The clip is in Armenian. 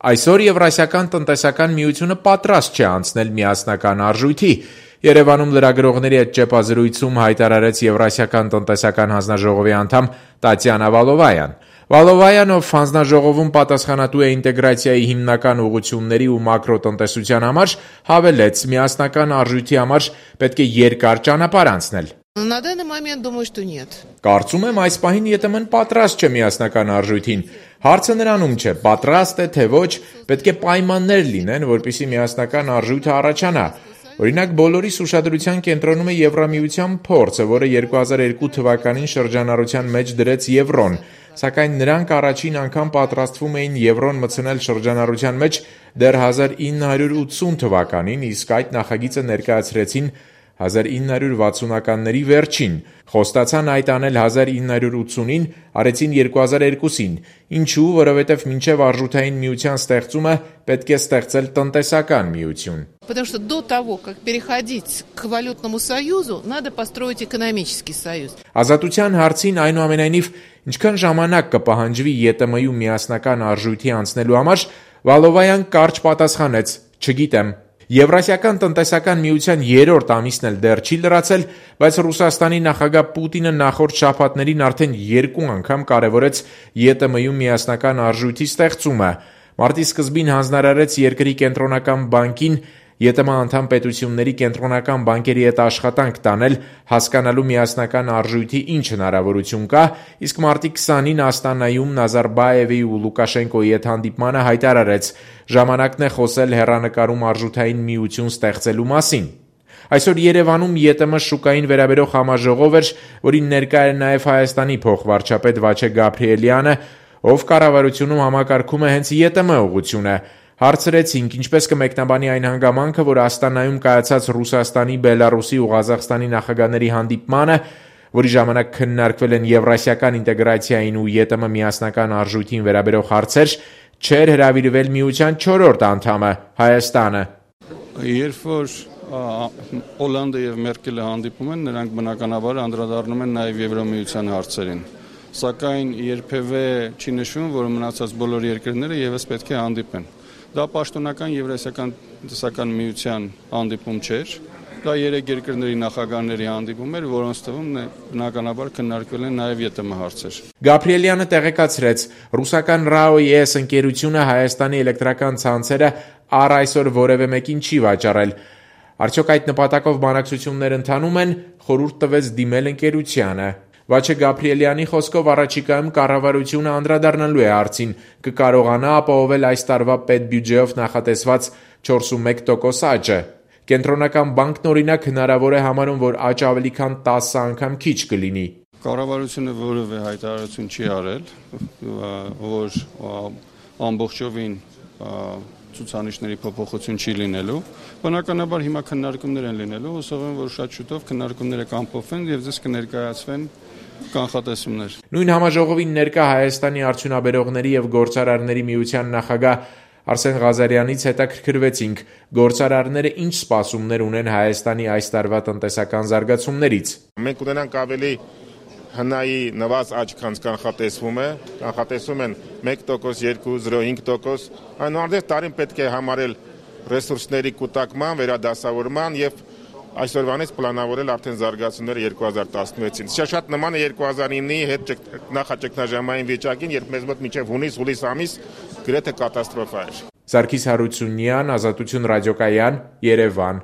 Այսօր Եվրասիական տնտեսական միությունը պատրաստ չէ անցնել միասնական արժույթի։ Երևանում լրագրողների հետ ճեպազրույցում հայտարարեց Եվրասիական տնտեսական հանձնաժողովի անդամ Տատյանա Վալովայան։ Վալովայան, ով հանձնաժողովում պատասխանատու է ինտեգրացիայի հիմնական ուղղությունների ու մակրոտնտեսության համար, հավելեց, միասնական արժույթի համար պետք է երկար ճանապարհ անցնել։ На данный момент думаю, что нет. Կարծում եմ այս պահին ԵՏՄ-ն պատրաստ չէ միասնական արժույթին։ Հարցը նրանում չէ, պատրաստ է թե ոչ, պետք է պայմաններ լինեն, որպեսզի միասնական արժույթը առաջանա։ Օրինակ, բոլորիս ուշադրության կենտրոնում է Եվրամիության փորձը, որը 2002 թվականին շրջանառության մեջ դրեց եվրոն, սակայն նրանք առաջին անգամ պատրաստվում էին եվրոն մտցնել շրջանառության մեջ դեռ 1980 թվականին, իսկ այդ նախագիծը ներկայացրեցին 1960-ականների վերջին, խոստացան այդ անել 1980-ին, արեցին 2002-ին, ինչու, որովհետև մինչև արժութային միության ստեղծումը պետք է ստեղծել տնտեսական միություն։ Потому что до того, как переходить к валютному союзу, надо построить экономический союз. Ազատության հարցին այնուամենայնիվ ինչքան ժամանակ կպահանջվի ԵՏՄ-յու միասնական արժույթի անցնելու համար, Վալովայան կարճ պատասխանեց. «Չգիտեմ»։ Եվրասիական տնտեսական միության երրորդ ամիսն էլ դեռ չի լրացել, բայց Ռուսաստանի նախագահ Պուտինը նախորդ շաբաթներին արդեն 2 անգամ կարևորեց ԵՏՄ-յու միասնական արժույթի ստեղծումը։ Մարտի սկզբին հանձնարարեց երկրի կենտրոնական բանկին ԵՏՄ անդամ պետությունների կենտրոնական բանկերի հետ աշխատանք տանել, հասկանալու միասնական արժույթի ինչ հնարավորություն կա, իսկ մարտի 20-ին Աստանայում Նազարբաևի ու Լուկաշենկոյի հետ հանդիպմանը հայտարարեց. ժամանակն է խոսել հեռանկարում արժութային միություն ստեղծելու մասին։ Այսօր Երևանում ԵՏՄ շուկային վերաբերող համաժողով էր, որին ներկա էր նաև Հայաստանի փոխվարչապետ Վաչե Գաբրիելյանը, ով կառավարությունում համակարգում է հենց ԵՏՄ ուղղությունը։ Հարցրեցինք, ինչպես կմեկնաբանի այն հանգամանքը, որ Աստանայում կայացած Ռուսաստանի, Բելարուսի ու Ղազախստանի նախագահների հանդիպմանը, որի ժամանակ քննարկվել են եվրասիական ինտեգրացիային ու ԵՏՄ միասնական արժույթին վերաբերող հարցեր, չէր հրավիրվել միության 4-րդ անդամը՝ Հայաստանը։ Երբ որ Օլանդը եւ Մերկելը հանդիպում են, նրանք բնականաբար անդրադառնում են նաեւ Եվրամիության հարցերին։ Սակայն երբևէ չի նշվում, որ մնացած բոլոր երկրները եւս պետք է հանդիպեն։ Դա պաշտոնական Եվրասիական տնտեսական միության հանդիպում չէր։ Դա 3 երկրների նախագահների հանդիպում էր, որոնց թվում բնականաբար քննարկվել են նաև ԵՏՄ հարցեր։ Գաբրիելյանը տեղեկացրեց, ռուսական RAO-ES ընկերությունը Հայաստանի էլեկտրական ցանցերը առ այսօր որևէ մեկին չի վաճառել։ Արդյոք այդ նպատակով բանակցություններ ընթանում են, խորհուրդ տվեց դիմել ընկերությանը։ Վաչե Գաբրիելյանի խոսքով առաջիկայում կառավարությունը անդրադառնալու է հարցին, կկարողանա ապահովել այս տարվա պետբյուջեով նախատեսված 4.1% աճը։ Կենտրոնական բանկն օրինակ հնարավոր է համարում, որ աճը ավելի քան 10 անգամ քիչ կլինի։ Կառավարությունը որևէ հայտարարություն չի արել, որ ամբողջովին ցուցանիշների փոփոխություն չի լինելու։ Բնականաբար հիմա քննարկումներ են լինելու, հուսով եմ, որ շատ շուտով քննարկումները կամփոփվեն եւ դες կներկայացվեն կանխատեսումներ։ Նույն համաժողովին ներկա Հայաստանի արդյունաբերողների եւ գործարարների միության նախագահ Արսեն Ղազարյանից հետաքրքրվեցինք, գործարարները ինչ սպասումներ ունեն Հայաստանի այս տարվա տնտեսական զարգացումներից։ Մենք ունենանք ավելի հնայի նվազ աճ, քան կանխատեսվում է, կանխատեսում են 1%, 2.05%, այնուհանդերձ տարին պետք է համարել ռեսուրսների կուտակման, վերադասավորման եւ այսօրվանից պլանավորել արդեն զարգացումները 2016-ին։ Շատ նման է 2009-ի հետ նախաճգնաժամային վիճակին, երբ մեզ մոտ մինչև հունիս-հուլիս ամիս գրեթե կատաստրոֆա էր։ Սարգիս Հարությունյան, Ազատություն ռադիոկայան, Երևան։